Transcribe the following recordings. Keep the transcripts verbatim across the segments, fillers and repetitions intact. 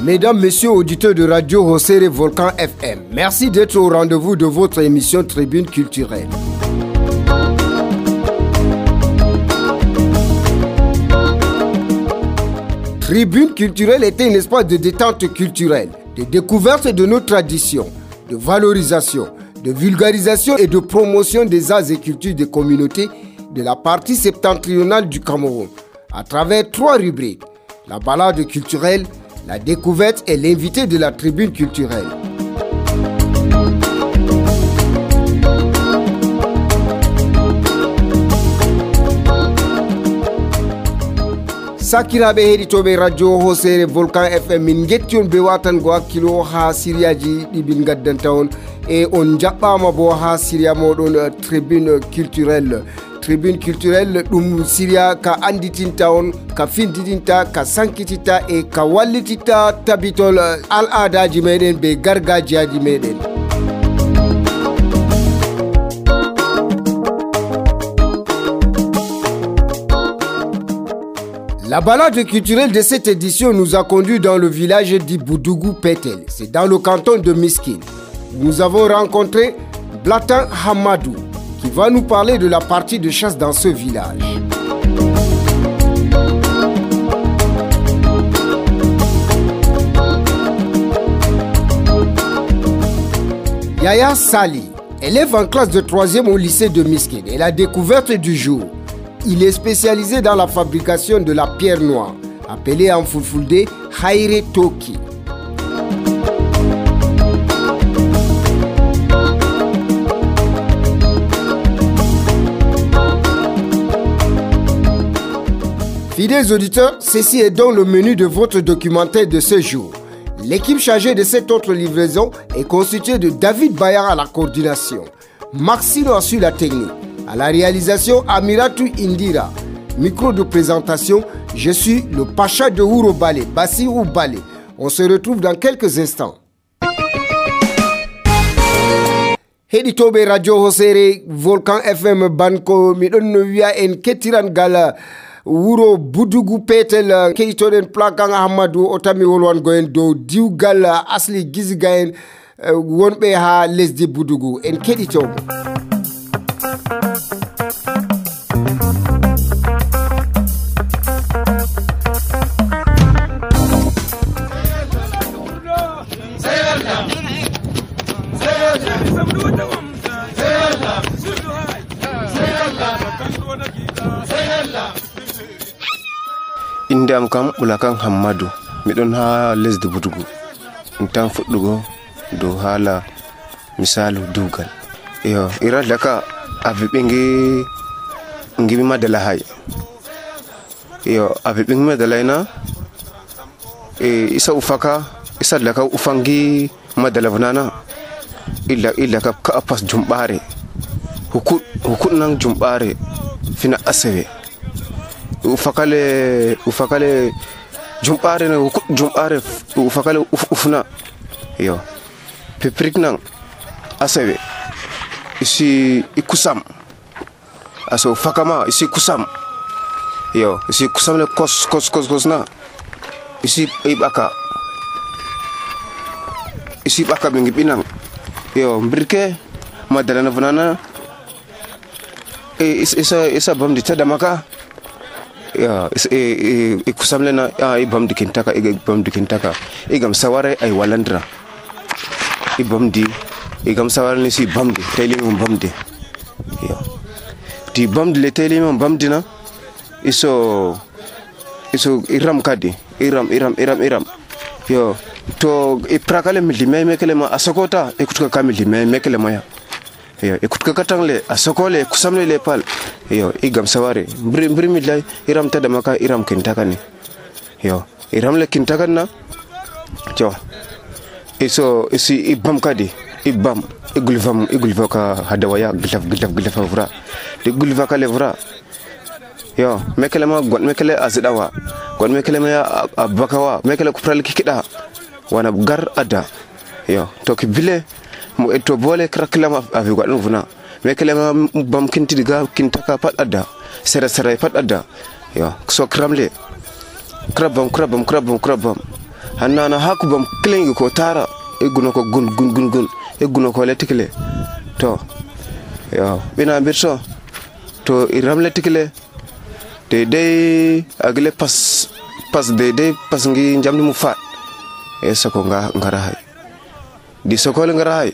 Mesdames, messieurs, auditeurs de Radio Hosere Volcan F M, merci d'être au rendez-vous de votre émission Tribune culturelle. Tribune culturelle était un espace de détente culturelle, de découverte de nos traditions, de valorisation, de vulgarisation et de promotion des arts et cultures des communautés de la partie septentrionale du Cameroun, à travers trois rubriques: la balade culturelle, la découverte et l'invité de la tribune culturelle. Sakiraɓe heɗitoɓe radio Hosere Volcan F M, min getti on be watango hakkilo ha siriyaji ɗi min gaddanta on, e on jaɓɓama bo ha siriya moɗon tribune culturelle. Tribune culturelle ɗum siriya ka anditinta on, ka findidinta, ka sankititta e ka wallititta tabitol al adaji meɗen be gargajiyaji meɗen. La balade culturelle de cette édition nous a conduit dans le village d'Iboudougou Pétel. C'est dans le canton de Miskine. Nous avons rencontré Blatan Hamadou, qui va nous parler de la partie de chasse dans ce village. Yaya Sali, élève en classe de troisième au lycée de Miskine, est la découverte du jour. Il est spécialisé dans la fabrication de la pierre noire, appelée en fulfulde Haire Toki. Fidèles auditeurs, ceci est donc le menu de votre documentaire de ce jour. L'équipe chargée de cette autre livraison est constituée de David Bayard à la coordination, Maxino assure la technique. À la réalisation, Amiratou Indira. Micro de présentation, je suis le Pacha de Ouro Balé, Bassirou Balé. On se retrouve dans quelques instants. Heditobe Radio Hosere Volcan F M Banko midon wiya en kettiran gal Wuro Budugu Pétel keitoden plakan Ahmadou otami wolwan goen do diwgal asli gizga en wonbe ha lesdi Budugu en keditobe. Indam kam ulakan Hamadou midon ha lesdi Budugu ntan fuddugo do hala misalu dugal yo irada ka avibingi ngimi madala hay yo avibingi madala ina e isa ufaka isa laka ufangi madala vanana illa illa ka ka pas jumbare hukut hukut nang jumbare fina asewe ufakale ufakale jumbare na hukut jumbare ufakale uf, ufna yo peprik nang asewe isi ikusam aso fakama isi kusam yo isi kusam le kos kos kos kos na isi ibaka isi baka bingi binang yo mbirke madala na vanana e isa isa bam di tada maka ya e e kusam le na ai bam di kintaka e bam di kintaka e gam saware ay walandra e bam di e gam saware ni si bam di tele mum bam di yo di bam di le tele mum bam di na iso iso iram kadi iram iram iram iram yo to e prakale milli me mekele ma asokota e kutuka kamili me mekele ma ya yo e kutuka katangle asokole kusamle le pal yo e gam saware mbri mbri millay iram tada maka iram kintaka ni yo iram le kintaka na jo iso isi ibam kadi ibam igulvam igulvaka hadawaya glaf glaf glaf vra de gulvaka le vra yo mekele ma gon mekele azidawa gon mekele ma abakawa mekele kupral kikida wana gar ada yo to ki bile mo eto bole kraklama avi gwadon vuna mekele ma bam kinti diga kintaka pat ada sera sera pat ada yo so kramle krabam krabam krabam krabam hannana hakubam klengi ko tara egguno ko gun gun gun gun egguno ko letikle to yo bina birso to iram letikle de de agle pas pas de de pas ngi jamdi mu fa e soko nga ngara hay di soko le ngara hay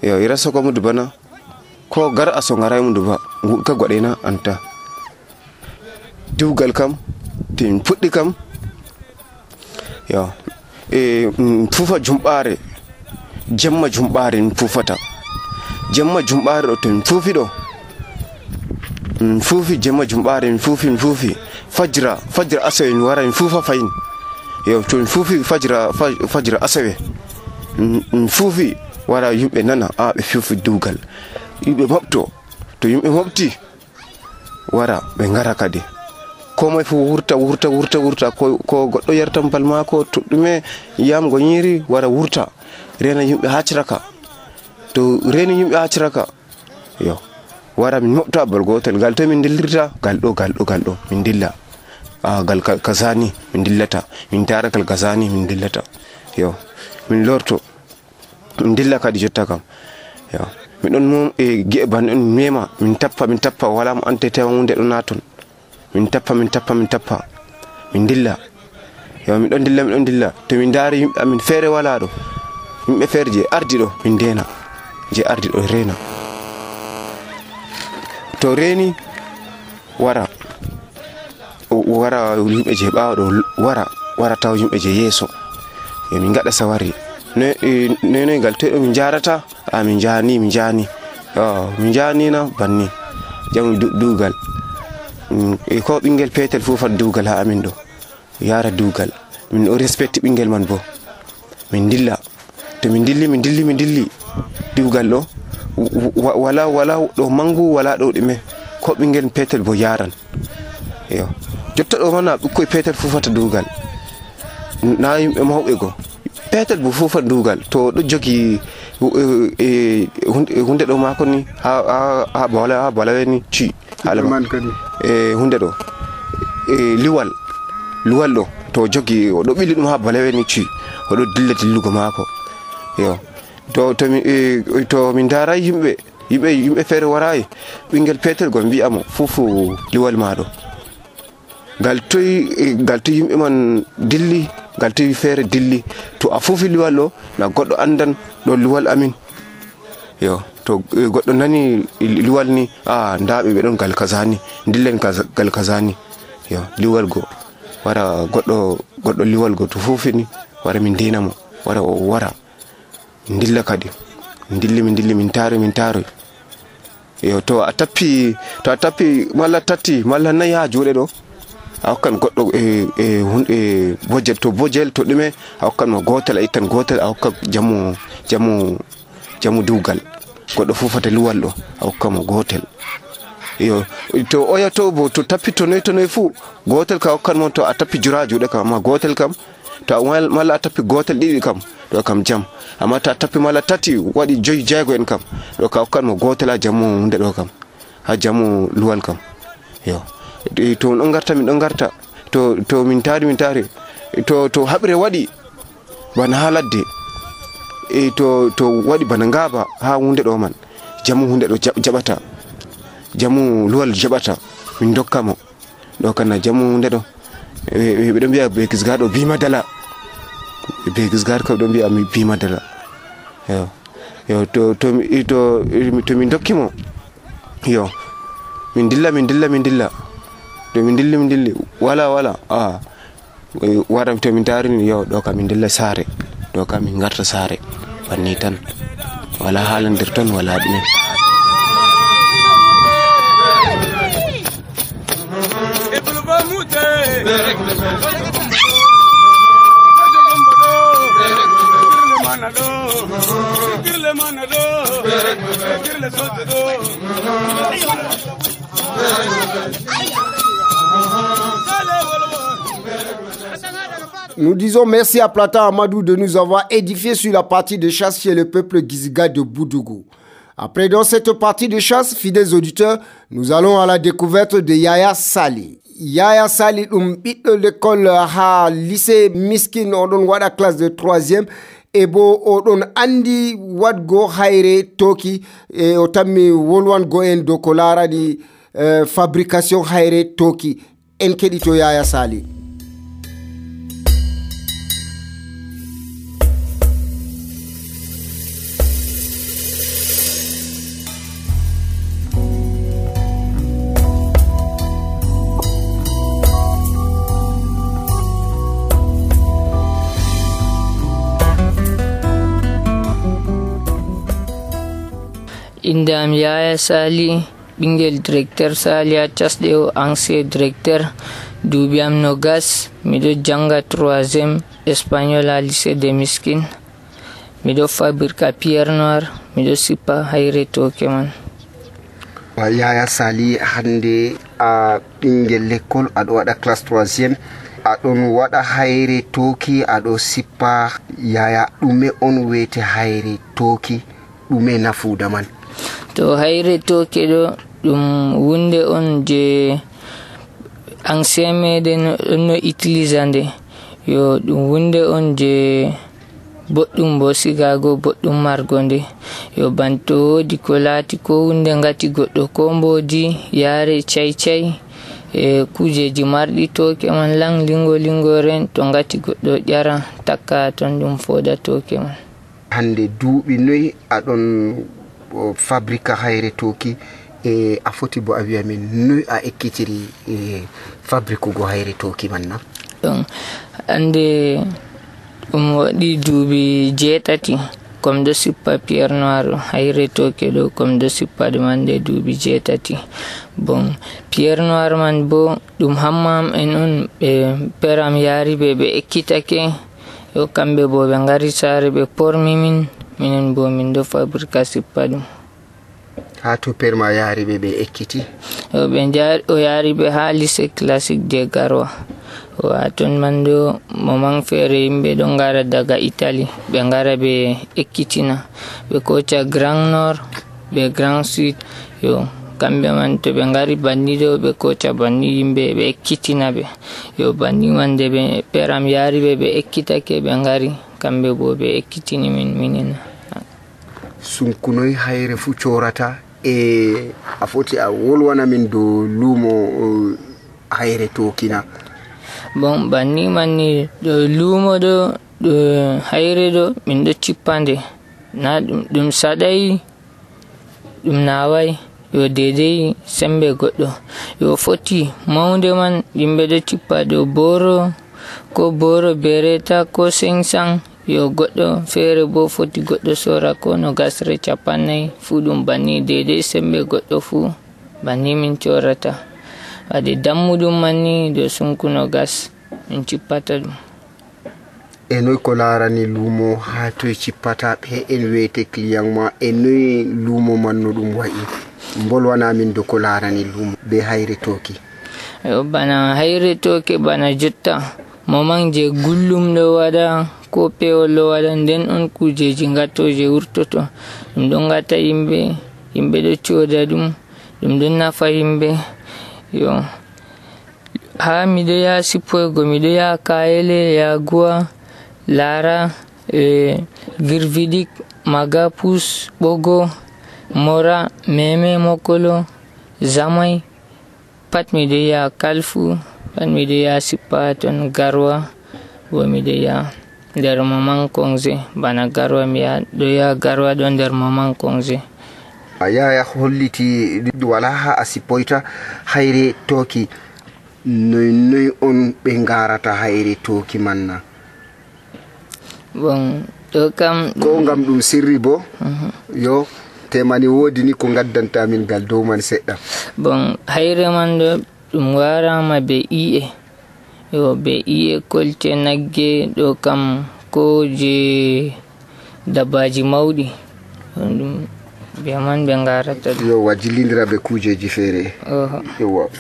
yo ira soko mu dubana ko gar aso ngara mu duba ka godena anta dugal kam tin puddi kam yo e fufa jumbare jemma jumbare fufata jemma jumbare do tin fufi do fufi jemma jumbare fufi fufi fajra fajra asawe wara fufa fayin yo to fufi fajra fajra asawe fufi wara yumbe nana a be fufi dugal yumbe mabto to yumbe mabti wara be ngara kadi ko moy fu wurta wurta wurta wurta ko ko goddo yartam balma ko to dume yam go nyiri wara wurta rena yumbe haciraka to reni yumbe haciraka yo wara min mobta bal gotel gal to min dillirta gal do gal do gal do min dilla a gal kazani min dillata min tarakal kazani min dillata yo min lorto min dilla kadi jotta kam yo min don mom e geban on mema min tappa min tappa wala mo ante taw hunde do naton min tappa min tappa min tappa min dilla yo min don dilla min don dilla to min daari yimbe amin fere wala do yimbe fere je ardi do min dena je ardi do rena to reni wara wara yimbe je baawo do wara wara taw yimbe je yeso e min gada sawari ne ne ne gal to min jarata a min jani min jani yo min jani na banni jamu dugal e ko bingel petel fu fa dugal ha amin do yara dugal min o respect bingel man bo min dilla to min dilli min dilli min dilli dugal do wala wala do mangu wala do dime ko bingel petel bo yaran yo jotta do mana ko petel fu fa dugal na yimbe mawbe go petel bu fu fa dugal to do jogi e hunde do mako ni ha ha bola ha bola ni ci alama e hunde do e liwal liwal do to jogi o do bili dum ha bola ni ci o do dilla dillugo mako yo to to mi to min dara yimbe yimbe yimbe fere waray bingel petel go bi'amo fufu liwal mado gal toy gal toy yimbe man dilli gal toy fere dilli to a fufi liwal do na goddo andan do liwal amin yo to goddo nani liwal ni ah ndaabe be don gal kazani dillen gal kazani yo liwal go wara goddo goddo liwal go to fufi ni wara min dinamo wara o wara ndilla kadi ndilli min dilli min taro min taro yo to a tappi to a tappi malla tatti malla nay ha juude do hokkan goddo e e hunde bojel to bojel to dume hokkan mo gotel ittan gotel hokka jamu jamu jamu dugal goddo fufata luwal do hokka mo gotel yo to oya to bo to tappi to noy to noy fu gotel ka hokkan mo to a tappi jura juude kam ma gotel kam to malla a tappi gotel didi kam do kam jam amma ta tappi mala tati wadi joy jaygo en kam do ka hokkan mo gotel a jamu hunde do kam ha jamu luwal kam yo to on garta min don garta to to min tari min tari to to habre wadi bana haladde e to to wadi bana ngaba ha hunde do man jamu hunde do jabata jamu luwal jabata min dokkamo do kana jamu hunde do e be do biya be kisgado bi madala be kisgar ko do biya mi bi madala yo yo to to to to min dokkimo yo min dilla min dilla min dilla to min dilli min dilli wala wala ah waram to min tarini yo do kam min dilla sare do kam min garta sare banni tan wala halandir ton wala dine Nous disons merci à Plata Amadou de nous avoir édifié sur la partie de chasse chez le peuple Giziga de Boudougou. Après dans cette partie de chasse, fidèles auditeurs, nous allons à la découverte de Yaya Sali. Yaya Sali ɗum ɓiɗɗo l'école ha lycée Miskin oɗon waɗa classe de troisième e bo oɗon andi wadgo hayre toki e o tammi wolwango en dow ko larani uh, fabrication hayre toki. En keɗito Yaya Sali. Indam Yaya Sali, ɓingel directeur Sali a casɗe o ancien directeur, duuɓi am nogas, miɗo janga troisième espagnol à lycée de Miskin, miɗo fabrique pierre noire, miɗo sippa hayre toke man. Yaya Sali, hande a ɓingel l'école aɗo waɗa classe troisième, aɗon waɗa hayre toki, aɗo sippa. Yaya ɗume on wete hayre toki, ɗume nafuda man? To hayre toke ɗo ɗum wunde on je ancien meɗen no utilisa nde, yo ɗum wunde on je boɗɗum bo sigago, boɗɗum margo nde, yo banto wodi ko laati ko hunde ngati goɗɗo ko mbodi yare cai cai e kujeji marɗi toke man lang lingo lingo ren, to ngati goɗɗo ƴara takka ton ɗum foda toke man. Hande duuɓi noy aɗon fabrique hayre toki e a foti bo a wi'a min noy a ekkitiri e fabrique go hayre toki man na? Donc ande ɗum waɗi duuɓi jeetati comme do sippa pierre noire hayre toke ɗo comme do sippa ɗum ande duuɓi jeetati. Bon pierre noire man bo ɗum hammam en on ɓe peram yaari ɓe ɓe ekkitake, yo kamɓe bo ɓe ngari saare ɓe pormi min, minen bo min do fabrique sippa ɗum. Ha to perma yaari ɓe ɓe ekkiti? Yo ɓe o yaari ɓe ha lycée classique de Garoua. O aton man do momang feere yimɓe ɗon ngara daga Italie ɓe ngara ɓe ekkitina, ɓe koca Grand Nord ɓe Grand Sud, yo kamɓe man to ɓe ngari banni ɗo ɓe koca banni yimɓe ɓe ekkitina ɓe, yo banni man de ɓe peram yaari ɓe ɓe ekkitake ɓe ngari kamɓe bo ɓe ekkitini min minen. Sunkunoy hayre fu corata e a foti a wolwana min dow luumo hayre tokina? Bon banni man ni ɗo luumo ɗo ɗo hayre ɗo min ɗo cippande na ɗum saɗai ɗum nawai, yo dedei sembe goɗɗo, yo foti maunde man yimɓe ɗo cippa dow boro ko boro bereta ko sengsan, yo goɗɗo feere bo foti goɗɗo sora ko no gasre capannay fu ɗum banni dedei sembe goɗɗo fu banni min corata. Wade dammuɗum manni do sunkuno gas min cippata ɗum. E noy ko larani luumo ha toye cippata ɓe en wete client ma, e noy luumo man no ɗum wayi? Bolwana min do ko larani luumo be hayre toki. Yo bana hayre toke bana jotta momang je gullum ɗo waɗa ko pewol ɗo waɗa, nden on kujeji gattoje wurtoto ɗum ɗon gata yimɓe, yimɓe ɗo coda ɗum, ɗum ɗon nafa yimɓe. Yo ha miɗo yaha sippoygo miɗo yaha Kayele, Yaguwa, Lara, e Virvidic, Magapus, Bogo, Mora, Meme, Mokolo, Zamai, pat miɗo yaha Kalfu, pat miɗo yaha sippa ton Garoua, bo miɗo yaha nder Maman Kongze bana Garoua, mi ɗo yaha Garoua ɗo nder Maman Kongze. A yaya holliti wala ha a sippoyta hayre toki, noy noy on ɓe ngarata hayre toki man na? Bon ɗo kam ko ngam ɗum sirri bo? Uh-huh. Yo temani wodi ni ko gaddanta min gal dow man seɗɗa. Bon hayre man ɗo ɗum warama be iye, yo be iye kolte nagge ɗo kam ko je dabbaji mawɗi ɗum be man ɓe ngarata ɗum. Yo wajilindira be kujeji feere. Uh-huh. Yo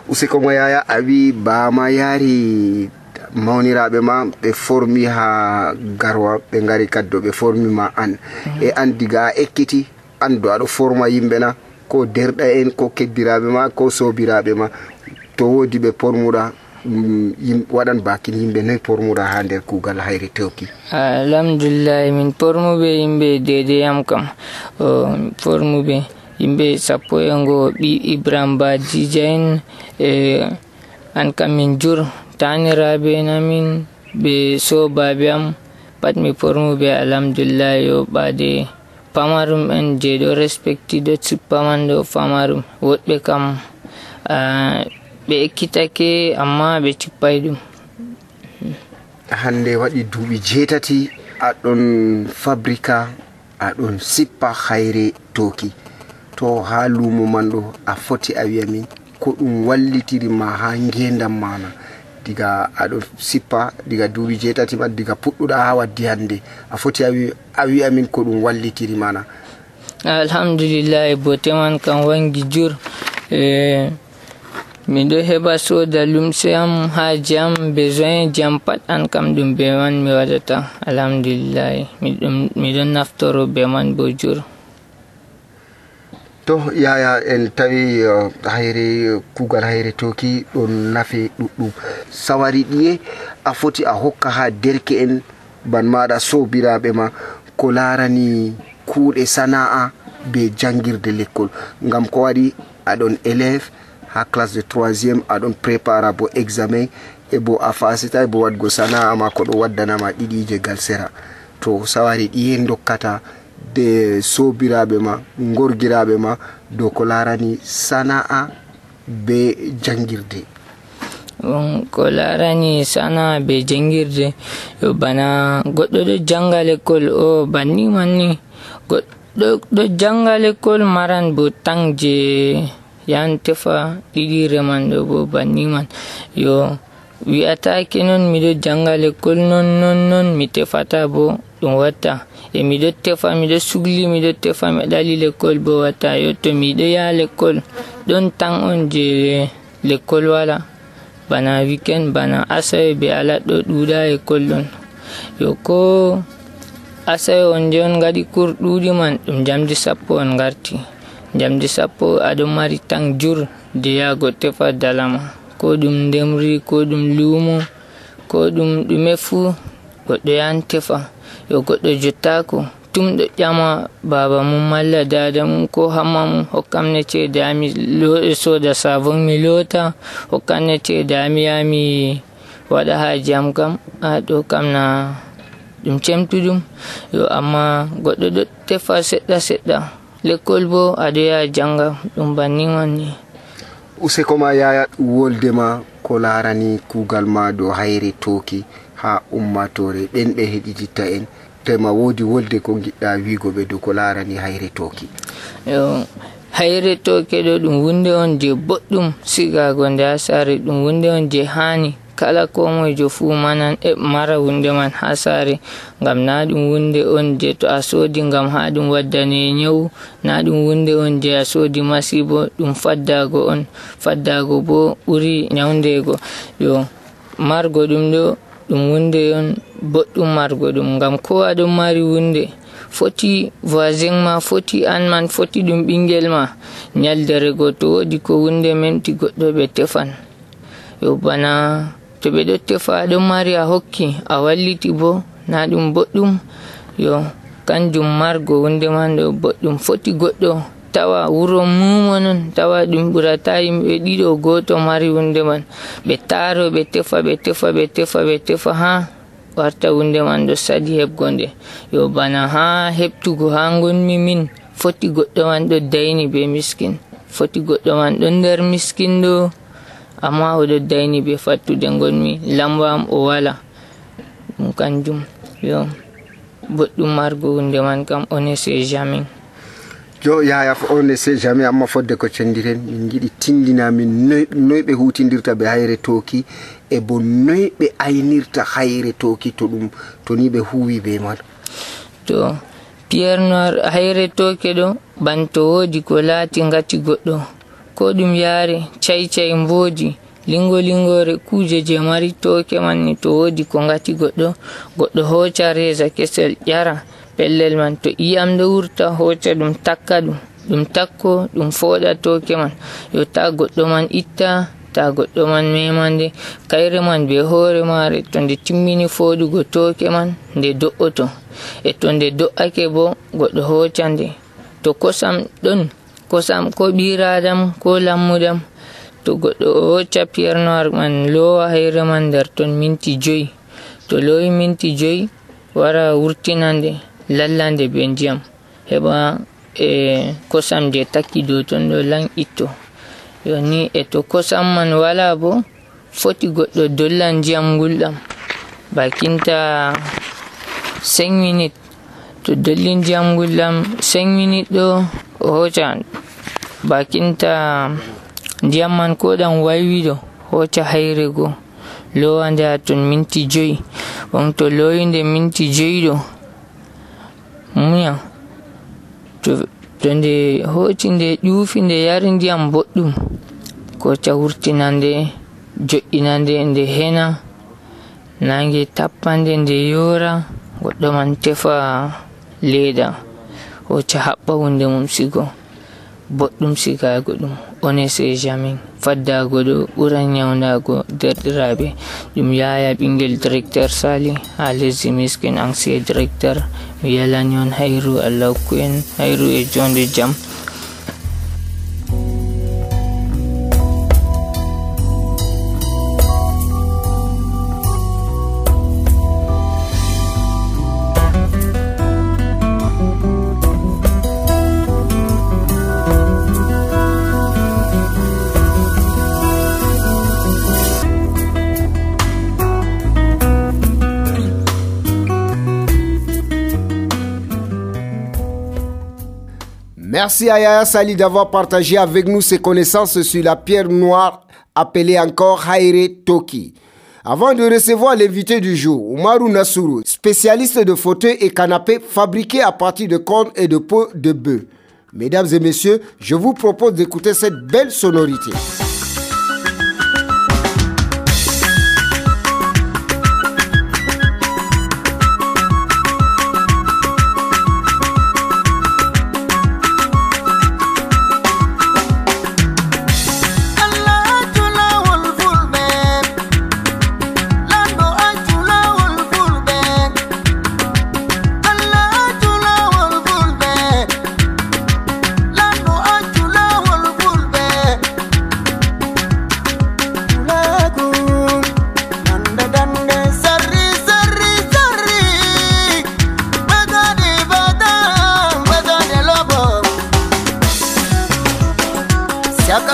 usiko mo yaya a wi bama yaari mawniraɓe ma ɓe formi ha Garoua, ɓe ngari kaddo ɓe formi ma an. Mm-hmm. E an diga a ekkiti an do aɗo forma yimɓe na, ko derɗa en ko keddiraɓe ma ko sobiraɓe ma, to wodi ɓe pormuɗa waɗan bakin yimɓe noy pormuɗa ha nder kugal hayre tewki? Alhamdulillah min pormuɓe yimɓe dedeyam kam pormuɓe yimɓe sappo e ngo ɓi Ibrahim Badija en e an kam min jur taniraɓe namin ɓe sobaɓe am pat mi pormuɓe alhamdulillah yo ɓade pamarum en je ɗo respecti ɗo sippaman ɗo famarum woɗɓe kam ɓe ekkitake amma ɓe cippai ɗum. Hande waɗi duuɓi jeetati aɗon fabrika aɗon sippa hayre toki, to ha lumo man ɗo a foti a wi'a min ko ɗum wallitirima ha ngendam mana diga aɗo sippa diga duuɓi jeetati man diga puɗɗuɗa ha waddi hande a foti a wi'a min ko ɗum wallitiri mana? Alhamdulillah bote man kam wangi jur e miɗo heɓa soda lumse am haaji am besoin ji am pat an kam ɗum be man mi waɗata alhamdulillah miɗon naftoro be man bo jur. To yaya en tawi hayre kugal hayre toki ɗon nafe ɗuɗɗum, sawari ɗiye a foti a hokka ha derke en ban maɗa sobiraɓe ma ko larani kuuɗe sana'a be jangirde l'école, ngam ko waɗi aɗon élève ha classe de troisième aɗon prépara bo examen e bo a fasita bo wadgo sana'a ma ko ɗo waddanama ɗiɗije gal sera, to sawari ɗiye dokkata de sobiraɓe ma gorgiraɓe ma dow ko larani sana'a be jangirde? Um, ko larani sana'a be jangirde yo bana goɗɗo ɗo janga l'école o banni manni goɗɗo ɗo janga l'école maran bo tan je yan tefa ɗiɗire man ɗo bo banni man yo wi'atake non miɗo janga l'école non non non mi tefata bo ɗum watta e miɗo tefa miɗo sugli miɗo tefa mi ɗali l'école bo watta yo to miɗo ya l'école ɗon tan on je l'école wala bana weekend bana asawe be ala ɗo ɗuɗa école ɗon yo ko asawe on je on gaɗi cours ɗuɗi man ɗum jamdi sappo on garti jamdi sappo aɗon mari tan jur de yago tefa dalama ko ɗum ndemri ko ɗum lumo ko ɗum ɗume fu goɗɗo yan tefa yo goɗɗo jottako tum ɗo ƴama baba mum malla dada mum ko hamma mum hokkamne ceede ami soda savon mi lota hokkamne ceede ami yami waɗa haaji am kam a ɗo kam na ɗum cemtuɗum yo amma goɗɗo ɗo tefa seɗɗa seɗɗa l'école bo aɗo ya janga ɗum banni man ni. Useko ma yaya woldema ko larani kugal ma dow hayre toki ha ummatore ɓen ɓe heɗititta en tema wodi wolde ko giɗɗa wigo ɓe dow ko larani hayre toki? Yo hayre toke ɗo ɗum wunde on je boɗɗum sigago nde ha sare, ɗum wunde on je hani kala ko moijo fu manan e mara wunde man ha sare, ngam na ɗum wunde on je to a sodi ngam ha ɗum waddane nyawu, na ɗum wunde on je a sodi masibo, ɗum faddago on, faddago bo ɓuri nyawndego. Yo margo ɗum ɗo ɗum wunde on boɗɗum margo ɗum, ngam ko aɗon mari wunde foti voisin ma foti an man foti ɗum ɓingel ma nyaldere go to wodi ko wunde memti goɗɗo ɓe tefan. Yo bana to ɓe ɗo tefa aɗon mari a hokki a walliti bo na ɗum boɗɗum. Yo kanjum margo wunde man ɗo boɗɗum foti goɗɗo tawa wuro mumo non tawa ɗum ɓurata yimɓe ɗiɗo goto mari wunde man ɓe taro ɓe tefa ɓe tefa ɓe tefa ɓe tefa ha warta wunde man ɗo sadi heɓgonde. Yo bana ha heɓtugo ha gonmi min foti goɗɗo man ɗo dayni be miskin, foti goɗɗo man ɗo nder miskin ɗo amma oɗo dayni be fattude gonmi lamba am o wala ɗum kanjum. Yo boɗɗum margo wunde man kam on ne sait jamais. Jo yaya on ne sait jamais, amma fodde ko cendiren min giɗi tindina min noy ɓe hutindirta be hayre toki e bo noy ɓe aynirta hayre toki to ɗum to ni ɓe huwi be man. To pierre noir hayre toke ɗo banto wodi ko laati ngati goɗɗo ko ɗum yare cai cai mboji lingo lingore kuje je mari toke man ni to wodi ko ngati goɗɗo goɗɗo hoca reza kesel ƴara pellel man, to iyam ɗo wurta hoca ɗum takka ɗum ɗum takko ɗum foɗa toke man yo ta goɗɗo man itta hatta goɗɗo man memande kayre man be hoore maare to nde timmini foodugo tooke man nde do'oto e to nde do'ake bo goɗɗo hoocande to kosam ɗon kosam ko ɓiradam ko lammudam to goɗɗo hooca pierre noir man loowa hayre man nder ton minti joyi to loowi minti joyi wara wurtinande lallande be ndiyam heɓa e kosam je takki dow ton ɗo lan itto yoni e to kosam man wala bo foti goɗɗo dollan ndiyam gulɗam bakinta cinq minutes to dolli ndiyam gulɗam cinq minutes ɗo o hoca bakinta ndiyam man ko ɗan waywi ɗo hoca hayre go lowa nde ha ton minti joyi on to lowi nde minti joyi ɗo muya to to nde hoci nde ƴuufi nde yari ndiyam boɗɗum ko ca wurtinande jo'inande nde hena nange tappande nde yora goɗɗo man tefa leda hoca haɓɓa hunde mum sigo boɗɗum sigago ɗum on ne sait jamais faddago ɗo ɓuran nyawdago derɗiraɓe ɗum yaya ɓingel directeur sali ha lesdi miskin ancien directeur mi yalani on hayru Allah hokku en hayru e jonde jam. Merci à Yaya Sali d'avoir partagé avec nous ses connaissances sur la pierre noire appelée encore Haire Toki. Avant de recevoir l'invité du jour, Oumarou Nassourou, spécialiste de fauteuils et canapés fabriqués à partir de cornes et de peau de bœuf. Mesdames et messieurs, je vous propose d'écouter cette belle sonorité.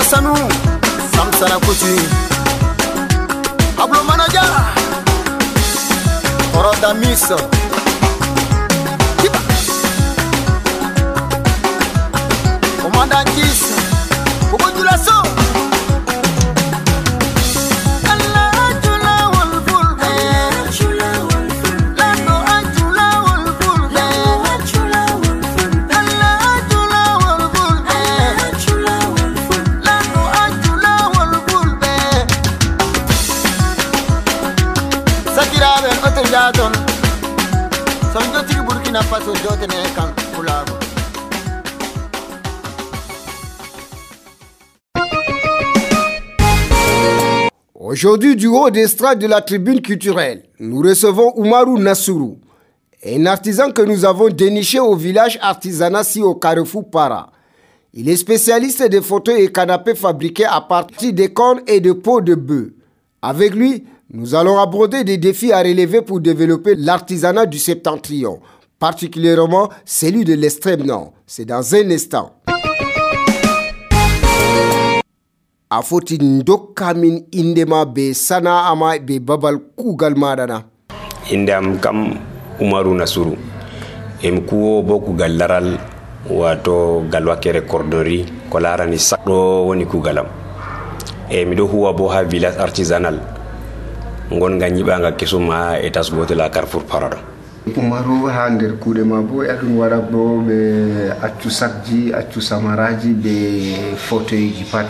Sanu Samsara Kuti Pablo Manaja Oroda Miss Commander Kiss Bobodulaso Aujourd'hui, du haut d'estrade de la tribune culturelle, nous recevons Oumarou Nassourou, un artisan que nous avons déniché au village artisanat si au Carrefour Para. Il est spécialiste des fauteuils et canapés fabriqués à partir des cornes et de peau de bœuf. Avec lui, nous allons aborder des défis à relever pour développer l'artisanat du septentrion, particulièrement celui de l'extrême nord. C'est dans un instant. A foti ndokka min indema be sana ama be babal kugal madana. Indam kam Oumarou Nassourou. Em kuwo bo kugal laral wato galwakere cordonnerie ko larani sakdo woni kugalam. E mi do huwa bo ha village artisanal. Ngon nga nyibanga kesuma etas bote la Carrefour Parado. Oumarou ha nder kuude ma bo adun wara bo be accu sakji accu samaraji be fauteuil ji pat.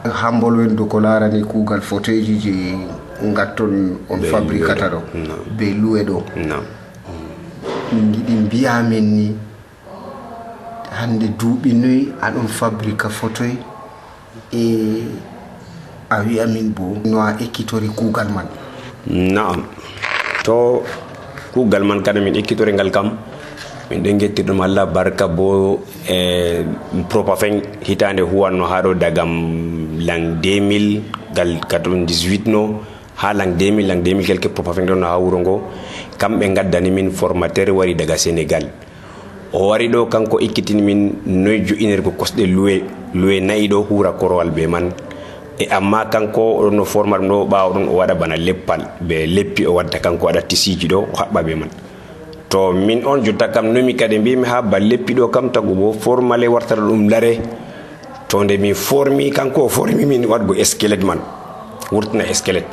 Hambol wen do ko larani kugal fauteuil ji je ngatton on fabricata do be luwe do. Min gidi biya men ni hande duubi noy adon fabrica fauteuil e a wi'a min bo no a ekkitori kuugal man. Naam, to kuugal man kada min ekkitori ngal kam min ɗon gettirɗum Allah barka bo e Propafen hitande huwanno haa ɗo dagam lang deux mille gal quatre-vingt-dix-huit no ha lang deux mille lang deux mille quelque Propafen ɗon no ha wuro ngo kamɓe gaddani min formateur wari daga Sénégal. O wari ɗo kanko ekkitini min noy jo'inirgo kosɗe luwe luwe nayi ɗo hura korowal be man, e amma kanko no format ɗum ɗo ɓawo ɗon o waɗa bana leppal be leppi o wadda kanko waɗa tisiji ɗo o haɓɓa be man. To min on jotta kam nomi kadi mbimi ha ba leppi ɗo kam tagu bo formale wartata ɗum lare, to nde min formi kanko o formi min waɗgo esquelette man wurtina esquelette.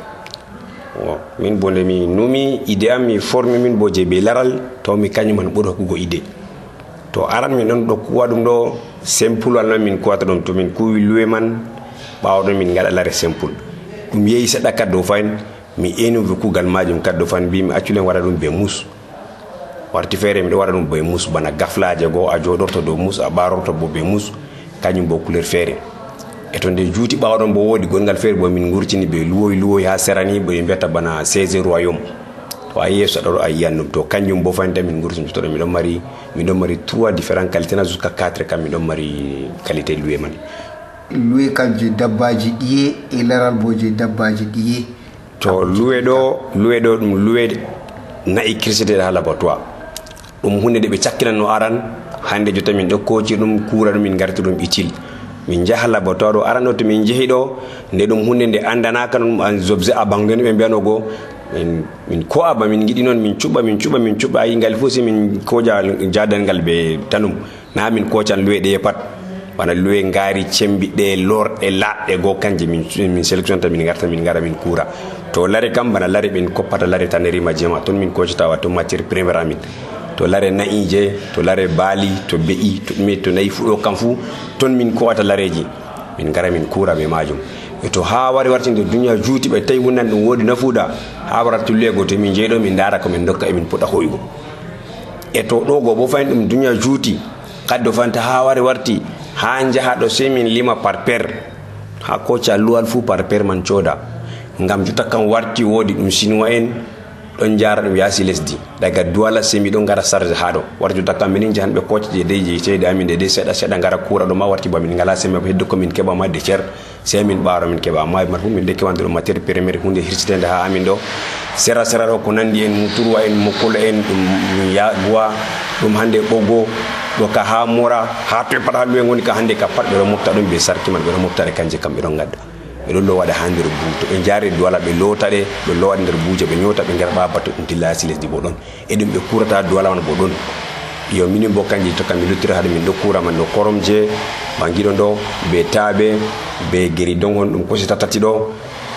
o min bo nde mi numi ide am mi formi min bo je be laral to mi kañum man ɓuri hokkugo ide. To aran min ɗon ɗo kuwa ɗum ɗo simple wal non min kuwata ɗum to min kuwi luwe man ɓawo ɗon min gaɗa lare simple ɗum yehi seɗɗa kaddo fayin mi enovi kugal majum kaddo fan mbimi acculen waɗa ɗum be mus warti feere miɗo waɗa ɗum be mus bana gaflaje goo a joɗorto dow mus a ɓarorto bo be mus kañum bo couleur feere. E to nde juuti ɓawo ɗon bo woodi gongal feere bo min gurtini be luwoy luwoy ha serani ɓe mbiyata bana seize royaume, to a yeeso ɗo a yiyan ɗum to kañum bo fayinta min gurtini to ɗo miɗon mari miɗon mari trois différents qualité na jusqu'à quatre kam miɗon mari qualité luwe man. Luwe kam je dabbaji ɗiye e laral bo je dabbaji ɗiye. To luwe ɗo luwe ɗo ɗum luwe nayi kirseteɗe ha laboratoire ɗum hunde nde ɓe cakkinanno aran hande jotta min ɗo koci ɗum kura ɗum min garti ɗum itil min jaha laboratoire ɗo aran ɗo to min jeehi ɗo nde ɗum hunde nde andanaka ɗum an objet a banque ɓe mbiyano goo min min ko aba min giɗi noon min cuɓa min cuɓa min cuɓa ayi ngal fof si min koja jadal ngal ɓe tanum na min kocan luwe ɗe pat bana luwe ngaari cembiɗɗe lorɗe laɗɗe goo kanje min min sélectionnata min garta min gara min kura. To lare kam bana lare ɓen koppata lare tanerima jema ton min kocata wa to matiére premiére amin, to lare naƴije to lare baali to be'i to ɗume to nayi fu ɗo kam fu ton min kowata lareji min gara min kura be majum. E to ha wari wartinde duniya juuti ɓe tawi wonnan ɗum woodi nafuuɗa ha warata luwego to min jeeɗo min dara ko min dokka e min puɗɗa hoygo. E to ɗo go bo fayin ɗum duniya juuti kaddo fanta ha wari warti ha jaha ɗo sey min lima par paire ha koca luwal fu par paire man cooda ngam jotta kam warti woodi ɗum chinois en ɗon jara ɗum yaasi lesdi daga Douala sey miɗon gara charge ha ɗo warti jotta kam minin jahan ɓe koca je dey je ceede amin de de seeɗa seeɗa gara kura ɗo ma warti ba min ngala sembe heddo ko min keɓa ma de cer sey min ɓaaro min keɓa amma man fu min de kewande ɗo matiére premiére hunde hirsitende ha amin ɗo sera sera ɗo ko nandi en muturwa en mokkola en ɗum ya bois ɗum hande ɓogo ɗo ka ha mora ha to pat ha luwe ngoni ka hande ka pat ɓe ɗo mofta ɗum be sarki man ɓe ɗo moftare kanje kam ɓe ɗon gadda ɓe ɗon lowaɗe ha nder buu to ɓe jaari Douala ɓe lotaɗe ɓe lowaɗe nder buuje ɓe ñoota ɓe gara ɓa bato ɗum dilla yasi lesdi bo ɗon e ɗum ɓe kurata Douala man bo ɗon yo minin bo kanji to kam mi luttira haɗo min ɗo kura man ɗo koromje bangiɗo ɗo be taaɓe be geri dongon ɗum kosita tati ɗo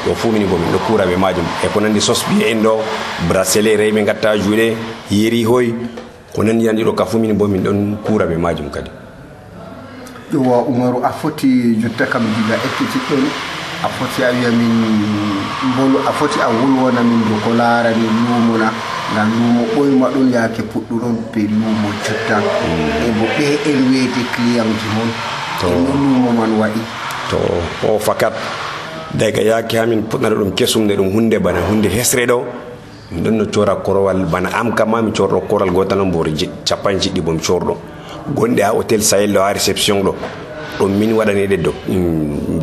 ɗo fu mini bo min ɗo kura ɓe majum e ko nandi sos ɓiye en ɗo bracelet rewɓe gatta juuɗe yeri hoy ko nandi yan ɗiɗo ka fu mini bo min ɗon kura ɓe majum kadi. Yowa Umaru a foti jotta kam diga ekkitiɗɗon a foti a wiya min mbolu a foti a wolwona min do ko laarani luumo na ngam luumo ɓoyma ɗum yaake puɗɗuɗon be luumo jotta e bo ɓe en weete client ji mon to luumo man waɗi to o fakat daga yaake hamin puɗɗata ɗum kesum nde ɗum hunde bana hunde hesre ɗo min ɗon no cora korowal bana am kama mi corɗo koral gotal on bo capan jiɗɗi bo mi corɗo gonɗe ha hôtel Sahel ɗo ha réception ɗo ɗum min waɗani ɗe do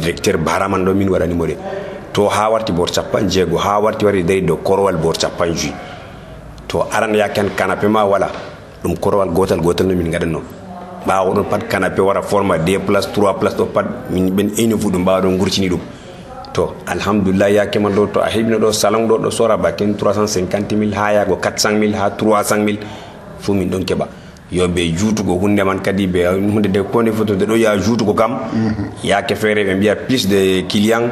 directeur baraman ɗo min waɗanimo ɗe to ha warti bor capan jeego ha warti wari dari dow korowal bor capan juyi to aran yakan canapé ma wala ɗum korowal gotal gotal no min gaɗanno ɓawo ɗon pat canapé wara forma deux place trois place ɗo pat min ɓen eni fu ɗum mbawa ɗon gurtini ɗum to alhamdulillah yake man ɗo to a heɓino ɗo salon ɗo ɗo sora baken trois cent cinquante mille ha yago quatre cent mille ha trois cent mille fu min ɗon keɓa yo ɓe juutugo hunde man kadi ɓe hunde de konde foto de ɗo ya juutugo kam yake feere ɓe mbiya plus de client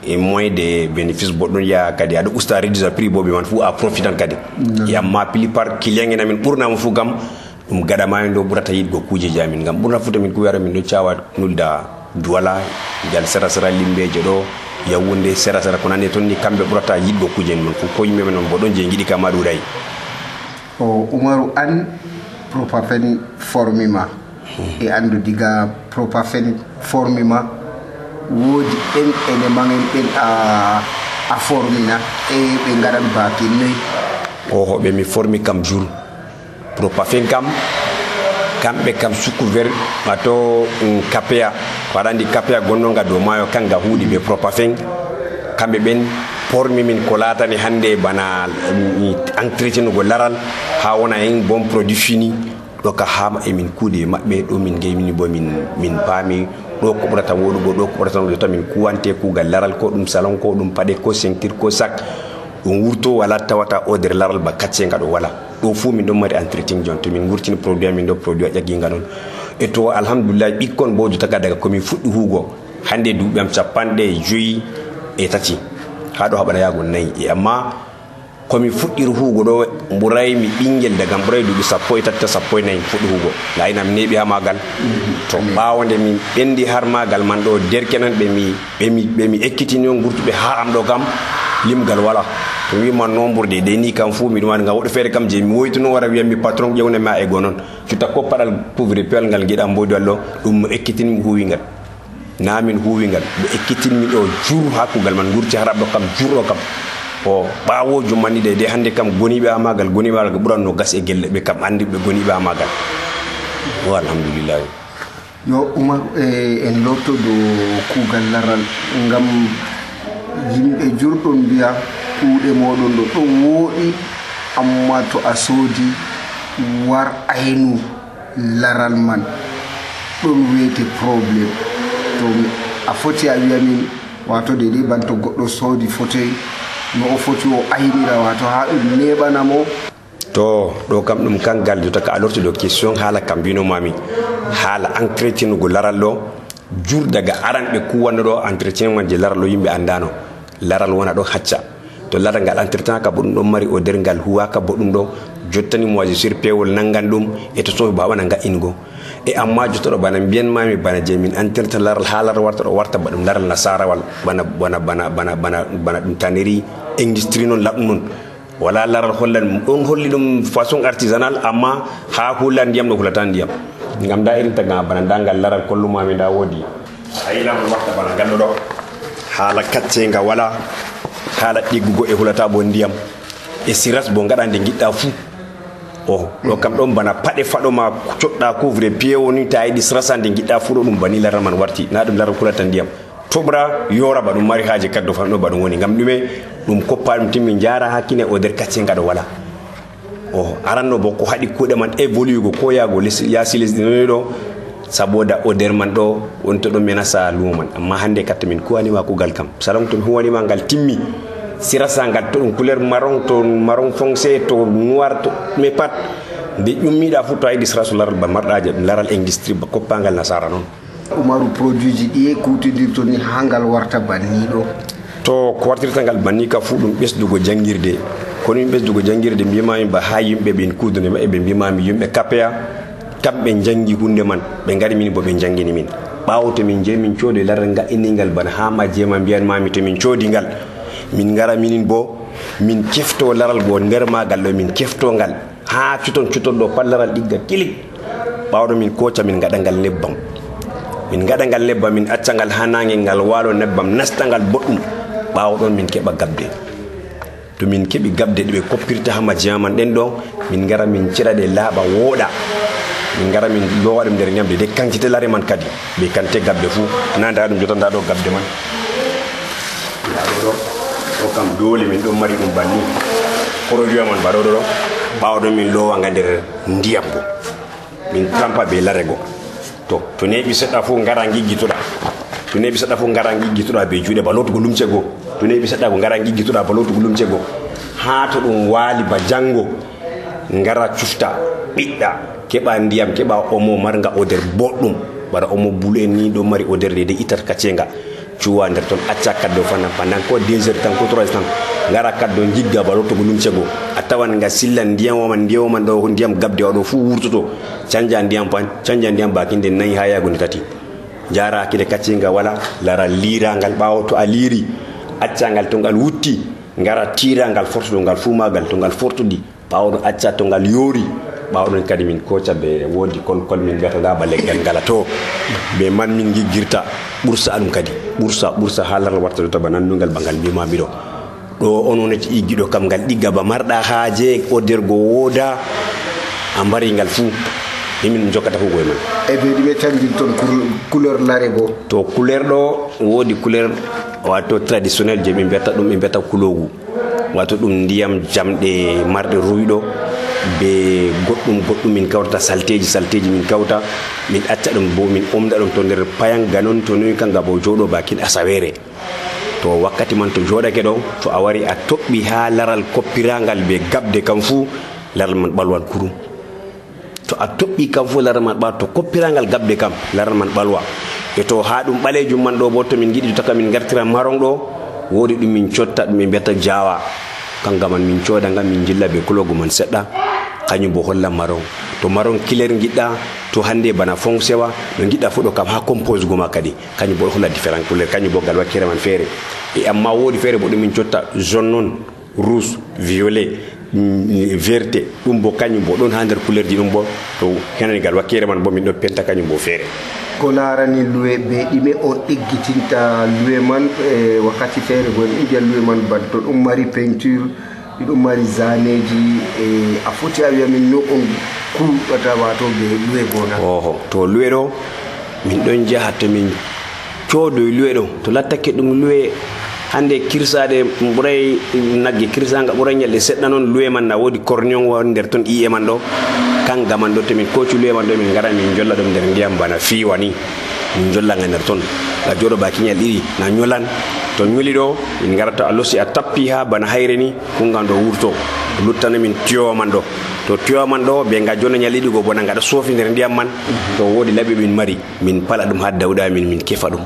et moins de bénéfice bo ɗon ya kadi aɗa usta réduisa prix bo ɓe man fu a profitan kadi yamma plupart client en amin ɓurnama fu kam ɗum gaɗa ma en ɗo ɓurata yiɗgo kuujeji amin ngam ɓurna fu tamin kuyara min ɗo cawa nulda Douala jal sera sera limbeje ɗo yawunde sera sera ko nande toon ni kamɓe ɓurata yiɗgo kuuje en man fu ko yimɓe men bo ɗon je giɗi kam ma ɗuuɗayi. o Umaru an Propafen formima e andu diga Propafen formima woodi en ene mangen ɓen a a formina e ɓe ngaran baaki noy o ɓe mi formi kam jour Propafen kam kamɓe kam sous-couvert wato kapea waɗa andi kapea gonnonga dow maayo kanga huuɗi ɓe Propafen kamɓe ɓen pormi min ko laatani hannde bana entretien go laral ha wona en bon produit fini ɗo ka ha emin kuuɗe maɓɓe ɗo min geymin bo min min paami ɗo ko ɓurata woɗugo ɗo ko ɓurata woɗugo min kuwante kuugal laral ko ɗum salon ko ɗum paɗe ko ceinture ko sac ɗum wurto wala tawata o nder laral ba kaccenga ɗo wala ɗo fuu min ɗon mari entretien jon to min wurtini produit min ɗo produit a ƴagginga noon e to alhamdulillah ɓikkon bo jotaka daga komin fuɗɗi huugo hannde duuɓi am capanɗe joyi e tati ha ɗo haɓata yaago nayi e amma komi fuɗɗiri huugo ɗo ɓuray mi ɓinguel daga ɓuray duuɓi sappo e tati sappo e nayi fuɗɗi huugo layinam neeɓi ha magal to ɓaawo nde min ɓendi har magal man ɗo derkenan ɓe mi ɓemi ɓe mi ekkitini on gurtuɓe ha am ɗo kam limgal wala to wima nombre de ɗe ni kam fuu miɗum waɗi ngam woɗɗo feere kam je mi woytuno wara wiyam mi patron ƴewnami a e go noon cutta ko paɗal couvre pewal ngal giɗa mbodi wallo ɗum mo ekkitinmi huuwingal na min huuwingal ɓe ekkitinmi ɗo jur ha kuugal man gurti har ɗo kam jurɗo kam o ɓaawo jummanɗi ɗe de hannde kam goniɓe ha magal goniɓe ha magal ɓuranno gas e gelle ɓe kam andi ɓe goniɓe ha magal o alhamdulillahi yo Oumar e en lotto dow kuugal laral ngam yimɓe jurɗon mbiya kuuɗe moɗon ɗo ɗo wooɗi amma to a soodi war aynu laral man ɗon wiyete probléme to a foti a wiya min wato de ɗi banto goɗɗo soodi fauteuil no o foti o aynira wato ha ɗum neɓanamo to ɗo kam ɗum kangal jota ka a lorti ɗo question haala kam mbinomami haala entretien go laral ɗo jur daga aran ɓe kuwanno ɗo entretien man je laral ɗo yimɓe andano laral wona ɗo hacca to laral ngal entretien ka bo ɗum ɗon mari o nder ngal huwaka bo ɗum ɗo jottani moisissure pewol nangan ɗum e to sowi bawana nga'ingo e amma jotta ɗo bana mbiyanmami bana je min entretien laral ha laral warta ɗo warta ba ɗum laral nasarawal bana bana bana bana bana bana ɗum tannerie industrie noon laɓɗum noon wala laral hollan ɗon holli ɗum façon artisanal amma ha hulla ndiyam ɗo hulata ndiyam ngam da irin taga bana dangal laral kollumami da woodi a yilam warta bana ngalɗo ɗo haala kaccenga wala haala ɗiggugo e hulata bo ndiyam e siras bo ngaɗa nde giɗɗa fuu o ɗo kam ɗon bana paɗe faɗoma coɗɗa couvre pied woni ta yiɗi sirasa nde giɗɗa fuu ɗo ɗum bani laral man warti na ɗum laral hulata ndiyam toɓra yora ba ɗum mari haaji kaddo fan ɗo ba ɗum woni ngam ɗume ɗum koppa ɗum timmi jara hakkine o nder kaccenga ɗo wala o aranno bo ko haɗi kuuɗe man évoluego ko yaago yaasi lesdi noni ɗo saboda o nder man ɗo wonto ɗo menasa lumo man amma hannde katta min kuwanima kuugal kam salon to mi huwanima ngal timmi sirasa ngal to ɗum couleur marron to marron foncé to noir to mais pat nde ƴummiɗa fu to a yiɗi sirasu laral ba marɗaje ɗum laral industrie ba koppangal nasara noon Oumarou produit ji ɗi e kuutidirto ni ha ngal warta banni ɗo to ko wartirta ngal banni ka fu ɗum ɓesdugo jangguirde kono min ɓesdugo jangguirde mbimami ba ha yimɓe ɓen kuudude maɓɓe ɓe mbimami yimɓe kapea kamɓe jangi hunde man ɓe ngari min bo ɓe jangini min ɓawo to min jeeyi min coodi laral ga'inningal bana ha majjema mbiyanmami to min coodi ngal min ngara minin bo min kefto laral go nder magal ɗo min kefto ngal ha cuton cuton ɗo pat laral ɗigga kilik ɓawɗo min koca min gaɗa ngal nebbam min gaɗa ngal nebbam min acca ngal ha nangue ngal waalo nebbam nasta ngal boɗɗum ɓawo ɗon min keɓa gabde to min keɓi gabde ɗe ɓe koppirta ha majjema man ɗen ɗo min ngara min cira ɗe laaɓa wooɗa min ngara min lowa ɗum nder ñamde de kancite lare man kadi ɓe kante gabde fuu nanda ɗum jota nda ɗo gabde man ɗo o kam dole min ɗon mari ɗum banni produit man mbaɗoɗo ɗo ɓawa ɗon min lowa nga nder ndiyam bo min tampa be larego to to neeɓi seɗɗa fof ngara giggitoɗa to neeɓi seɗɗa fof ngara giggitoɗa be juuɗe ba lotugo lumce goo to neeɓi seɗɗa ko ngara giggitoɗa ba lotugo lumce goo ha to ɗum waali ba janngo ngara cufta ɓiɗɗa keɓa ndiyam keɓa omo marga odeur boɗɗum bara omo bulu en ni ɗo mari odeur de de itat kaccenga cuwa nder toon acca kaddo fana pendant ko deux heures tan ko trois heures tan ngara kaddo jigga ba lottogo lumce goo a tawan nga silla ndiyam waman ndiyam waman ɗo ndiyam gabde waɗo fuu wurtoto canja ndiyam pan canja ndiyam bakinde nayi ha yago nde tati jara hakkille kaccenga wala lara lirangal ɓawo to a liiri acca ngal to ngal wutti ngara tira ngal fortuɗo ngal fuu magal to ngal fortuɗi ɓawo ɗon acca to ngal yoori ɓawo ɗon kadi min koca ɓe woodi kolkol min mbiyata nga ba leggal ngala to ɓe man min giggirta ɓursa ɗum kadi ɓursa ɓursa ha laral warta ɗo taba nanndugal bangal mbimami ɗo ɗo ononati iggiɗo kam ngal ɗigga ba marɗa haaje o dergo wooda a mbari ngal fuu min jokkata fu goye man e ɓe ɗume tamdin toon couleur lare bo to couleur ɗo woodi couleur wato traditionnel je ɓe mbiyata ɗum ɓe mbiyata kulogu wato ɗum ndiyam jamɗe marɗe ruyɗo be goɗɗum goɗɗum min kawtata salteji salteji min kawta min acca ɗum bo min omda ɗum to nder payanga noon to noyi kanga bo jooɗo bakin asawere to wakkati man to jooɗake ɗo to a wari a toɓɓi ha laral koppirangal be gabde kam fuu laral man ɓalwan kurum to a toɓɓi kam fuu laral man ɓa to koppirangal gabde kam laral man ɓalwa e to ha ɗum ɓalejum man ɗo bo to min giɗi taka min gartira maron ɗo woodi ɗum min cotta ɗum ɓe mbiyata jawa kanga man min cooda ngam min jilla be kulogo man seɗɗa kañum bo holla maron to maron kiler giɗɗa to hande bana foncewa no giɗɗa fu ɗo kam ha compose goma kadi kañum bo holla différent couleur kañum bo gal wakkere man feere e amma woodi feere bo ɗum min cotta jaune noon rouge violet verte ɗum bo kañum bo ɗon ha nder couleur ji ɗum bo to henani gal wakkere man bo min ɗo penta kañum bo feere ko larani luwe ɓe ɗime on ɗiggitinta luwe man e wakkati feere go en mbiya luwe man ban to ɗum mari peinture ɗum mari zaneji e a foti a wiya min no on kuɗata wato ɓe luwe gona oho to luwe ɗo min ɗon jaha to min coodoy luwe ɗo to lattake ɗum luwe hande kirsade ɓuray nagge kirsanga ɓuray ñalɗe seɗɗa noon luwe man na woodi cornion woni nder toon iye man ɗo kanga man ɗo to min koci luwe man ɗo min gara min jolla ɗum nder ndiyam bana fiiwa ni min jollanga nder toon ga jooɗo baki ñal ɗiɗi na ñolan to ñoli ɗo min garata a losi a tappi ha bana hayre ni kungan ɗo wurto luttana min tiyowa man ɗo to tiyowa man ɗo ɓe ga jonna ñal ɗiɗi go bona gaɗa soofi nder ndiyam man to woodi laɓi min mari min pala ɗum ha dawɗa min min kefa ɗum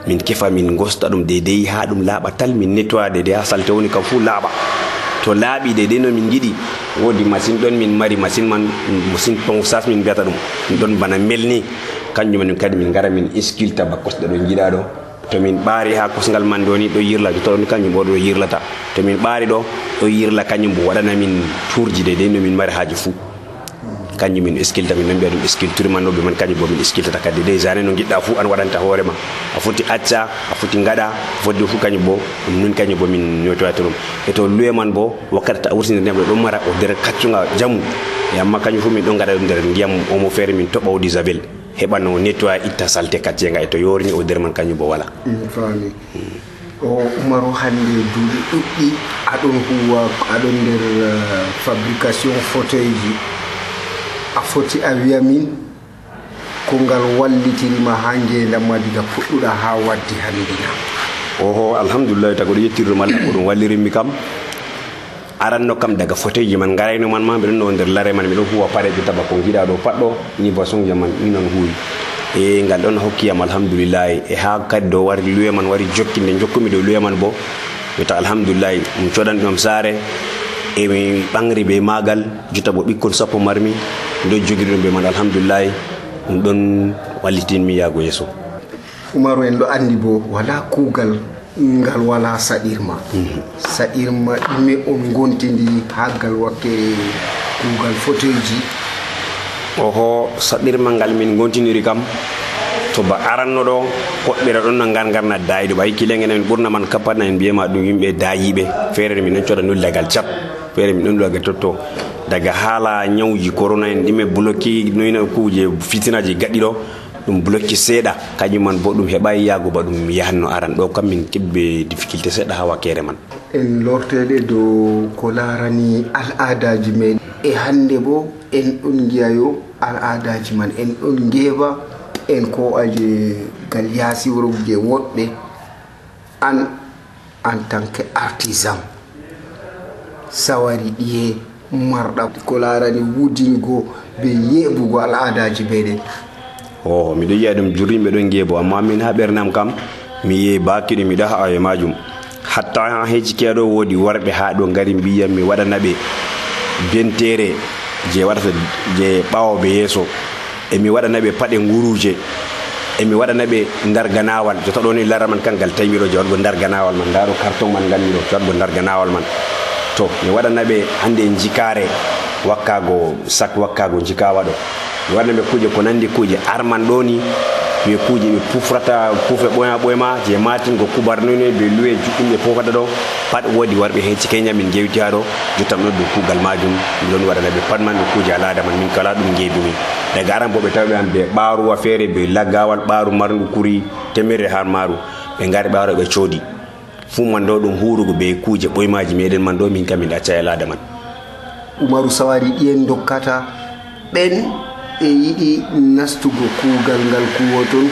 min kefa min gosta ɗum deydey ha ɗum laaɓa tal min nettoya deydey ha salte woni kam fuu laaɓa to laaɓi deydey no min giɗi woodi machine ɗon min mari machine man machine ponçage min mbiyata ɗum ɗum ɗon bana melni kanjum man kadi min gara min iskilta ba kosɗe ɗo jiiɗa ɗo to min ɓaari ha kosngal man ɗo ni ɗo yirla jotta ɗon kanjum bo ɗo yirlata to min ɓaari ɗo ɗo yirla kañum bo waɗana min tourji deydey no min mari haaji fuu kanjum min iskilta min non mbiya ɗum sculpture man ɗo ɓe man kañum bo min iskiltata kadi des jane no giɗɗa fuu an waɗanta hoorema a foti acca a foti gaɗa fodde fuu kañum bo ɗum nun kañum bo min ñotoyata ɗum e to luwe man bo wakkati ta a wurtinde ndiyam ɗo ɗon mara o nder kaccuga jamu e amma kañum fuu min ɗon gaɗa ɗum nder ndiyam omo feere min toɓa o d'isabel heɓa no nettoya itta salte kaccenga e to yorini o nder man kañum bo wala fami o umaro hande duuɗi ɗuɗɗi aɗon huwa aɗon nder fabrication fauteuil ji a foti a wiya min ko ngal wallitirima ha ngendam ma diga puɗɗuɗa ha waddi handina oho alhamdulillah tago ɗo yettirɗum Allah ko ɗum wallirinmi kam aranno kam daga fauteuil ji man garayno man ma mbiɗon no nder lare man miɗon huwa pareji taba ko giɗa ɗo pat ɗo ni boisson ji man ɗum non huwi e ngal ɗon hokkiyam alhamdulillah e ha kadi ɗo wari luwe man wari jokkinde jokkumi ɗo luwe man bo wita alhamdulillah ɗum coɗan ɗum saare e mi ɓangri be magal jotta bo ɓikkon sappo marmi ɗo jogiri ɗum be man alhamdulillah ɗum ɗon wallitinmi yaago yeeso Umaru en ɗo andi bo wala kuugal ngal wala saɗirma saɗirma ɗume on gontidiri ha gal wakkere kuugal fauteuil ji oho saɗirma ngal min gontidiri kam to ba aranno ɗo koɗɓira ɗon no ngar ngarna dayiɗo ɓayi kilenge min ɓurna man kapatna en mbiyama ɗum yimɓe dayiɓe feere min non coɗa nuldagal cap feere min ɗon ɗuwagal totto daga haala ñawji corona en ɗime bloqué noyno kuje fitinaji gaɗɗi ɗo ɗum bloqué seeɗa kañum man bo ɗum heɓayi yaago ba ɗum yahanno aran ɗo kam min keɓɓe difficulté seeɗa ha wakkere man en lorteɗe dow ko larani al adaji men e hande bo en ɗon giyayo al adaji man en ɗon ngeewa en ko aje gal yaasi wuro je woɗɓe an en tant que artisan sawari ɗiye marɗa ko larani wudingo be yeɓugo al adaji meɗen o miɗo yiya ɗum jurrimɓe ɗon geebo amma min ha ɓernam kam mi yehi bakiɗo miɗo ha awe majum hatta heji keɗo woodi worɓe ha ɗo gari mbiyam mi waɗana ɓe bentere je waɗata je ɓawoɓe yeeso emi waɗana ɓe paɗe nguruje emi waɗana ɓe ndar ganawal jotta ɗo ni lara man kangal tawiɗo je waɗgo ndar ganawal man ndaɗo carton man ganmiɗo to waɗgo ndar ganawal man to mi waɗana ɓe hande jikare wakkago sac wakkago jikawa ɗo mi waɗana ɓe kuje ko nandi kuje arman ɗo ni ɓe kuuje ɓe pufrata puufe ɓoyma ɓoyma je matingo kubarnoynoy ɓe luwe juɗɗum ɓe fofata ɗo pat woodi warɓe hecci Kenya min jewti ha ɗo jottam ɗo dow kuugal majum min ɗon waɗana ɓe pat man ɓe kuuje alada man min kala ɗum jeedumi daga aran bo ɓe tawi an ɓe ɓaaruwa feere ɓe laggawal ɓaaru marndu kuri temerre har maaru ɓe ngari ɓaaro ɓe coodi fuu man ɗo ɗum hurugo ɓe kuuje ɓoymaji meɗen man ɗo min kam min acca e alada man. Umaru Sawari ɗiyen dokkata ɓen ɓe yiɗi nastugo kuugal ngal kuwoton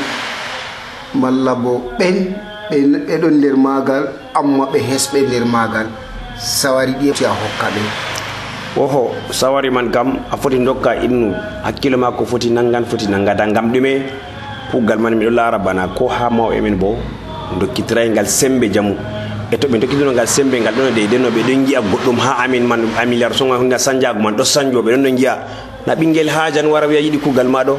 malla bo ɓen ɓe ɗon nder maagal amma ɓe hesɓe nder maagal Sawari ɗi a hokka ɓen. Oho Sawari man kam a foti dokka innu hakkilo ma ko foti nangan foti nangata ngam ɗume kuugal man miɗo laara bana ko ha mawɓe men bo dokkitiray ngal sembe jamu e to ɓe dokkitino ngal sembe ngal ɗon de denno ɓe ɗon gi'a goɗɗum ha amin man amiliar songa hunde sanjago man ɗo sanjo ɓe ɗon ɗon gi'a na ɓinguel hajan wara wiya yiɗi kuugal ma ɗo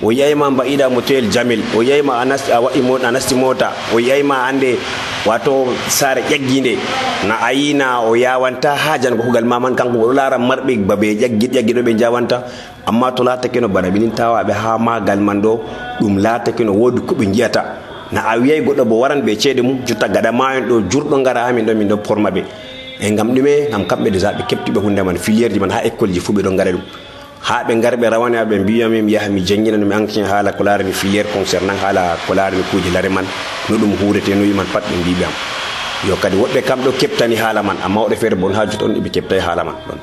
o yayma mbaɗiɗa motoyel jamil o yayma a nasti a waɗi a nasti mota o yayma ande wato saare ƴagginde na a yina o yawanta hajan ko kuugal ma man kanko ɗo laara marɓe babe ƴaggiɗ ƴaggiɗo ɓe jawanta amma to laatake no bana ɓinin tawaɓe ha magal man ɗo ɗum laatake no woodi ko ɓe jiyata na a wiyay goɗɗo bo waran ɓe ceede mum jotta gaɗa mayon ɗo jurɗo ngara ha min ɗo min ɗo porma ɓe e ngam ɗume ngam kamɓe déjà ɓe keptiɓe hunde man filiére ji man ha école ji fuu ɓe ɗon ngara ɗum ha ɓe ngar ɓe rawane ɓe mbiyami mi yaha mi jangina mi entretien haala ko laarani filiére concernant haala ko laarani kuuje lare man no ɗum huurete no yiman pat ɓe mbiɓe am yo kadi woɓɓe kam ɗo keptani haala man amma woɗɓe feere bon ha jotta on ɗeɓe keptayi haala man ɗon.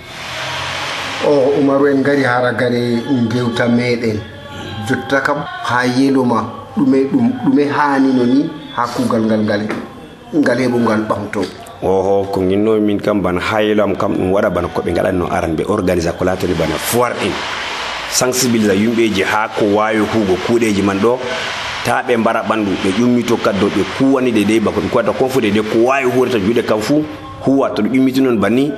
O Umaru en ngari haragare gewta meɗen jotta kam ha yeloma ɗume ɗum ɗume hanino ni ha kuugal ngal ngal ngal heɓugal ɓamto. Oho ko ginno min kam bana haylo am kam ɗum waɗa bana koɓe gaɗanno aran ɓe organise ko latori bana foire en sensibilisa yimɓeji ha ko wawi huugo kuuɗeji man ɗo ta ɓe mbara ɓandu ɓe ƴummito kaddo ɓe kuwani de de bako ɗum kuwata kon fu de de ko wawi huurata juuɗe kam fuu huwa to ɗum ƴummiti noon banni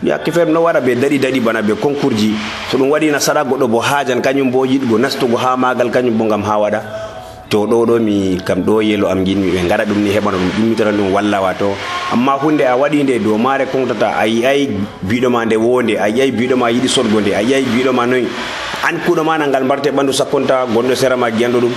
yakke feere no waɗa ɓe daɗi daɗi bana ɓe concours ji so ɗum waɗi nasara goɗɗo bo hajan kañum bo yiɗgo nastugo ha magal kañum bo ngam ha waɗa to ɗo ɗo mi kam ɗo yelo am jinmi ɓe ngara ɗum ni heɓano ɗum ƴummitata ɗum walla wato amma hunde a waɗi nde dow maare kontata a yiyay biɗoma nde wonde a yiyay biɗoma yiɗi sodgo nde a yiyay biɗoma noyi an kuuɗo ma ngal mbarte ɓandu sakkonta gonɗo sera ma giyanɗo ɗum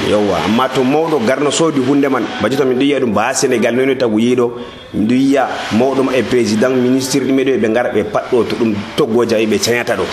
yewwa amma to mawɗo garno soodi hunde man bajito min ɗo yiya ɗum ba Sénégal noyno tagu yiiɗo miɗo yiya mawɗo e président ministre ɗume ɗo ɓe ngara ɓe patɗo to ɗum toggoja ɓe cañata ɗo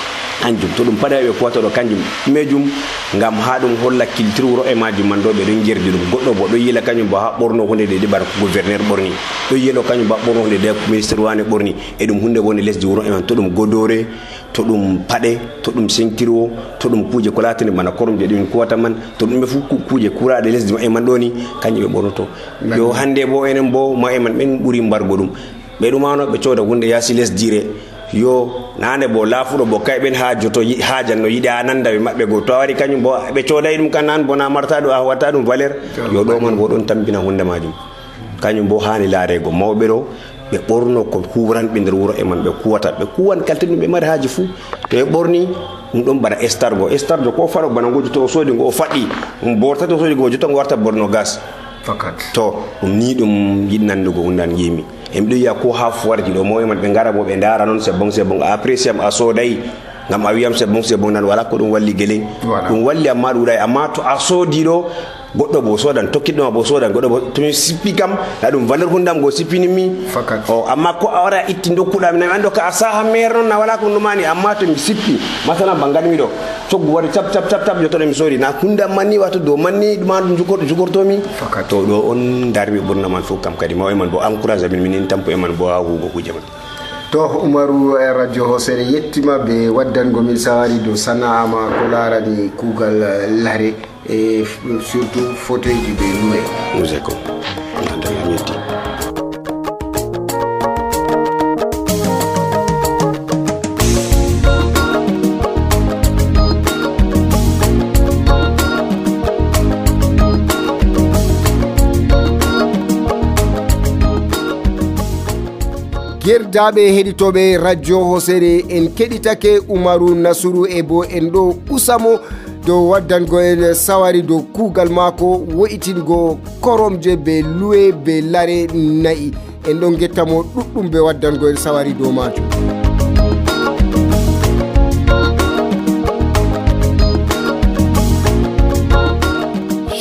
kanjum to ɗum paɗa ɓe kuwata ɗo kanjum ɗumejum ngam ha ɗum holla culture wuro e majum man ɗo ɓe ɗon jerdi ɗum goɗɗo bo ɗo yila kañum bo ha ɓorno hunde de de bara ko gouverneur ɓorni ɗo yelo kañum ba ɓorno hunde de ko ministre wane ɓorni e ɗum hunde woni lesdi wuro e man to ɗum godore to ɗum paɗe to ɗum ceinture o to ɗum kuuje ko latini bana koromje ɗumin kuwata man to ɗum ɓe fu kuuje kuraɗe lesdi ma e man ɗo ni kañum ɓe ɓornoto yo hande bo enen bo ma e man ɓen ɓuuri mbargo ɗum ɓe ɗumano ɓe cooda hunde yaasi lesdire yo nane bo laafuɗo bo kay ɓen ha joto hajan no yiɗi a nanda ɓe maɓɓe go to a waɗi kañum bo ɓe coodayi ɗum kan nan bona marta ɗo a watta ɗum valeur yo ɗo man bo ɗon tampina hunde majum kañum bo hani laarego mawɓe ɗo ɓe ɓorno ko huranɓe nder wuro e man ɓe kuwata ɓe kuwan kalte ɗum ɓe mari haji fuu to ɓe ɓorni ɗum ɗon bana estargo estargo ko faɗo bana ngo joto o soodi ngo o faɗɗi ɗum bortata o soodi ngo jotta ngo warta borno gas fakat to ɗum ni ɗum yiɗi nandugo hundan yimi e miɗo yiya ko ha foirji ɗo mo e man ɓe ngara bo ɓe ndara noon c'est bon c'est bon a apprécie am a soodayi ngam a wiyam c'est bon c'est bon nan wala ko ɗum walli guele ɗum walli amma ɗuuɗay amma to a soodi ɗo goɗɗo bo sodan tokkiɗoma bo sodan goɗɗo bo tomi sippi kam na ɗum valeur hundam go sippini mi o amma ko a wara itti dokkuɗami nami ando ka a saha maire noon na wala ko ɗumani amma to mi sippi masalan bangatmi ɗo coggu waɗi cap cap cap cap jottoɗo mi soodi na hundam manni wato dow manni ɗuma ɗum jugorto jugortomi to ɗo on darmi ɓurna man fof kam kadi maw e man bo encourage amin minin tampo e man bo ha huugo kuje man to Umaru e radio Hosere yettima ɓe waddango min sawari dow sana'a ma ko larani kuugal lare e surtout fauteuil ji ɓe luwe musé ko nandam yetti Gerdaɓe heɗitoɓe radio Hosere en keɗitake Umaru Nasuru e bo en ɗo usamo dow waddango en sawari dow kuugal mako wo'itingo koromje be luwe be lare nayi en ɗon gettamo ɗuɗɗum be waddango en sawari dow majum.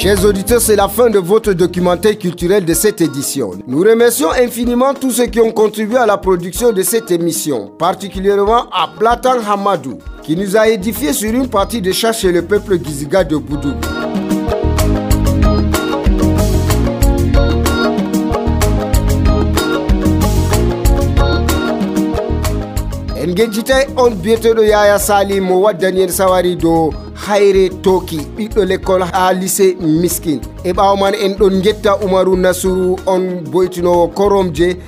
Chers auditeurs, c'est la fin de votre documentaire culturel de cette édition. Nous remercions infiniment tous ceux qui ont contribué à la production de cette émission, particulièrement à Platan Hamadou, qui nous a édifié sur une partie de chasse chez le peuple Giziga de Boudou. Ngejitay on biyeteɗo Yaya Sali mo waddani en sawari do hayre toki ɓiɗɗo l'école ha lycée Miskin. E ɓawo man en ɗon getta Umaru Nasuru on boytinowo koromje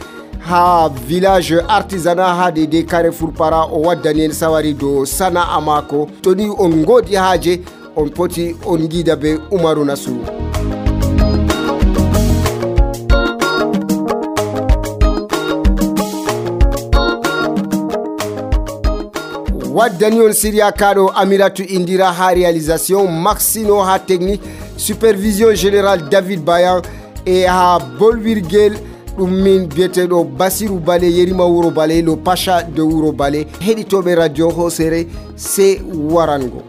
ha village artisanat ha de Carrefour Para o waddani en sawari do sana'a mako. Toni on godi haje on poti on gida be Umaru Nasuru. Waddani on Syria Kado Amiratu Indira ha réalisation, Maxino ha technique, supervision générale David Bayan et ha Bolwirgel ɗum min biyeteɗo Basiru Bale Yerima Wuro Bale, le Pacha de Wuro Bale, heɗitoɓe radio Hosere, c'est Warango.